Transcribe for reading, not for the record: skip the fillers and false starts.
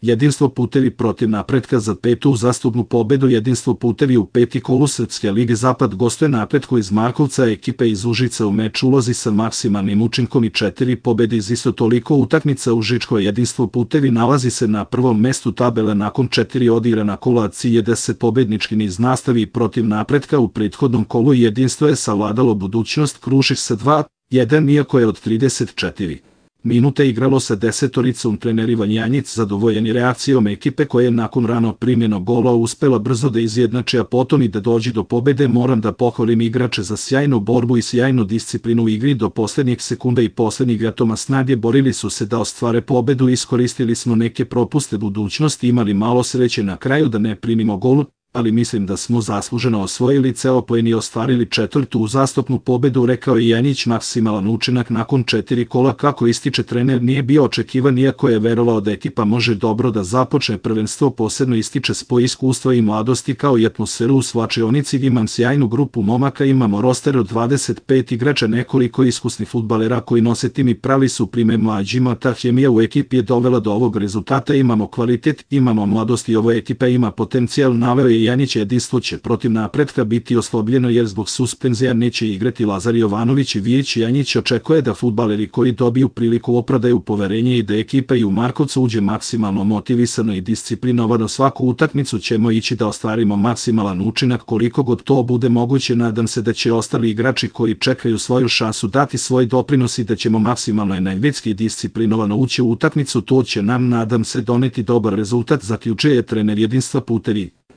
Jedinstvo putevi protiv napretka za 5. uzastopnu pobedu. Jedinstvo putevi u 5. kolu Srpske lige Zapad gostuje Napretku iz Markovca, ekipe iz Užica u meč ulozi sa maksimalnim učinkom i 4 pobede iz isto toliko utakmica. Užičko jedinstvo putevi nalazi se na prvom mestu tabele nakon 4 odigrana kola, cilj je 10 pobednički niz nastavi protiv Napretka. U prethodnom kolu jedinstvo je savladalo Budućnost Krušik sa 2-1, iako je od 34 minute igralo sa desetoricom. Trener Ivan Janjić zadovoljen je reakcijom ekipe koja je nakon rano primljenog gola uspela brzo da izjednači, a potom i da dođe do pobede. Moram da pohvalim igrače za sjajnu borbu i sjajnu disciplinu u igri do poslednjeg sekunda i poslednjeg atoma snage. Borili su se da ostvare pobedu, iskoristili smo neke propuste Budućnosti, imali malo sreće na kraju da ne primimo gol, ali mislim da smo zasluženo osvojili ceo poen i ostvarili 4. uzastopnu pobedu, rekao je Janjić. Maksimalan učinak nakon 4 kola, kako ističe trener, nije bio očekivan, iako je verovao da ekipa može dobro da započne prvenstvo. Posebno ističe spoj iskustva i mladosti kao i atmosferu u slačionici. Imam sjajnu grupu momaka, imamo roster od 25 igrača, nekoliko iskusnih fudbalera koji nose tim i pravi su primer mlađima. Ta hemija u ekipi je dovela do ovog rezultata. Imamo kvalitet, imamo mladost i ova ekipa ima potencijal, naveo je Janjić. Jedinstvo će protiv Napretka biti oslobljeno jer zbog suspenzija neće igrati Lazar Jovanović i Vijić. Janjić očekuje da fudbaleri koji dobiju priliku opravdaju poverenje i da ekipa i u Markovcu uđe maksimalno motivisano i disciplinovano. Svaku utakmicu ćemo ići da ostvarimo maksimalan učinak koliko god to bude moguće. Nadam se da će ostali igrači koji čekaju svoju šansu dati svoj doprinos i da ćemo maksimalno energetski i disciplinovano ući u utakmicu. To će nam, nadam se, doneti dobar rezultat, zaključuje trener Jedinstva putevi.